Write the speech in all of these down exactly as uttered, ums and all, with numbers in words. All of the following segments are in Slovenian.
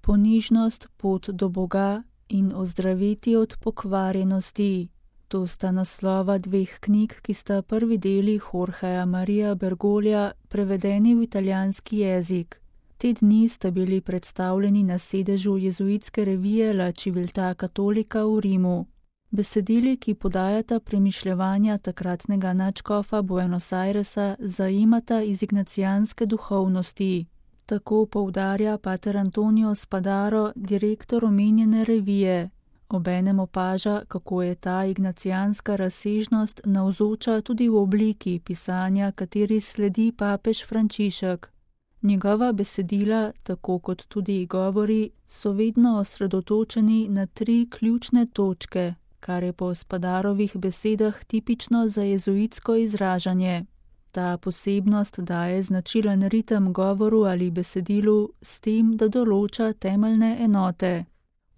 Ponižnost, pot do Boga in ozdraviti od pokvarjenosti. To sta naslova dveh knjig, ki sta prvi deli Jorgeja Maria Bergoglja prevedeni v italijanski jezik. Te dni sta bili predstavljeni na sedežu jezuitske revije La Civiltà Cattolica v Rimu. Besedili, ki podajata premišljevanja takratnega nadškofa Buenos Airesa, zajemata iz ignacijanske duhovnosti. Tako poudarja pater Antonio Spadaro, direktor omenjene revije. Obenem opaža, kako je ta ignacijanska razsežnost navzoča tudi v obliki pisanja, kateri sledi papež Frančišek. Njegova besedila, tako kot tudi govori, so vedno osredotočeni na tri ključne točke, kar je po Spadarovih besedah tipično za jezuitsko izražanje. Ta posebnost daje značilen ritem govoru ali besedilu s tem, da določa temeljne enote.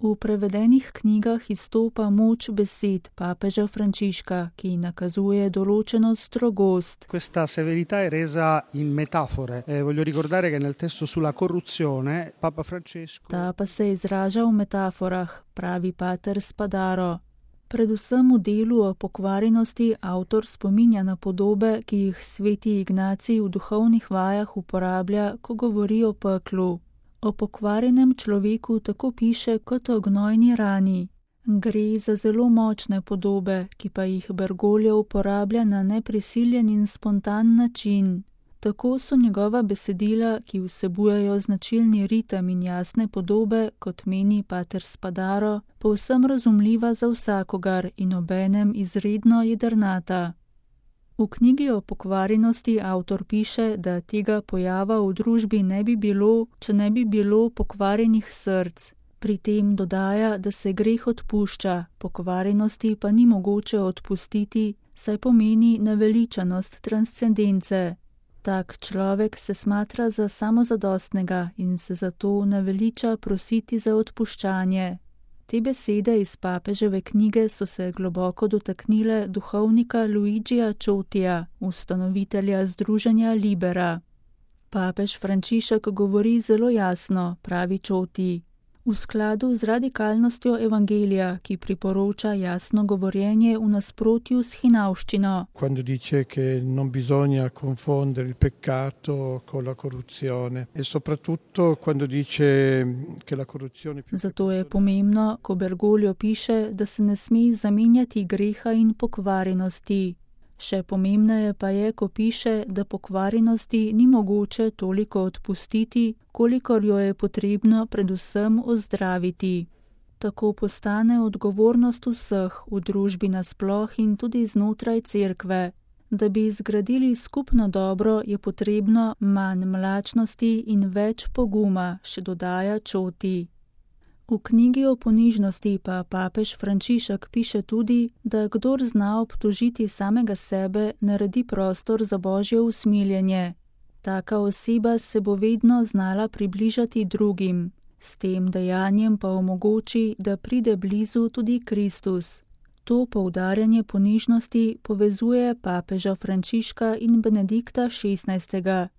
V prevedenih knjigah izstopa moč besed papeža Frančiška, ki nakazuje določeno strogost. Questa severità è resa in metafore. Eh, voglio ricordare che nel testo sulla corruzione Papa Francesco Ta pa se izraža v metaforah, pravi pater Spadaro. Predvsem v delu o pokvarjenosti avtor spominja na podobe, ki jih sveti Ignacij v duhovnih vajah uporablja, ko govori o peklu. O pokvarjenem človeku tako piše kot o gnojni rani. Gre za zelo močne podobe, ki pa jih Bergoglio uporablja na neprisiljen in spontan način. Tako so njegova besedila, ki vsebujejo značilni ritem in jasne podobe, kot meni pater Spadaro, povsem razumljiva za vsakogar in obenem izredno jedrnata. V knjigi o pokvarjenosti avtor piše, da tega pojava v družbi ne bi bilo, če ne bi bilo pokvarjenih src. Pri tem dodaja, da se greh odpušča, pokvarjenosti pa ni mogoče odpustiti, saj pomeni naveličanost transcendence. Tak človek se smatra za samozadostnega in se zato naveliča prositi za odpuščanje. Te besede iz papeževe knjige so se globoko dotaknile duhovnika Luigija Ciotija, ustanovitelja združenja Libera. Papež Frančišek govori zelo jasno, pravi Cioti, v skladu z radikalnostjo evangelija, ki priporoča jasno govorjenje v nasprotju s hinavščino. Quando dice che non bisogna confondere il peccato con la corruzione e soprattutto quando dice che la corruzione più Zato je pomembno, ko Bergoglio piše, da se ne sme zamenjati greha in pokvarjenosti. Še pomembneje pa je, ko piše, da pokvarjenosti ni mogoče toliko odpustiti, kolikor jo je potrebno predvsem ozdraviti. Tako postane odgovornost vseh v družbi nasploh in tudi znotraj cerkve. Da bi zgradili skupno dobro, je potrebno manj mlačnosti in več poguma, še dodaja Cioti. V knjigi o ponižnosti pa papež Frančišek piše tudi, da kdor zna obtožiti samega sebe, naredi prostor za božje usmiljenje. Taka oseba se bo vedno znala približati drugim, s tem dejanjem pa omogoči, da pride blizu tudi Kristus. To poudarjanje ponižnosti povezuje papeža Frančiška in Benedikta šestnajstega.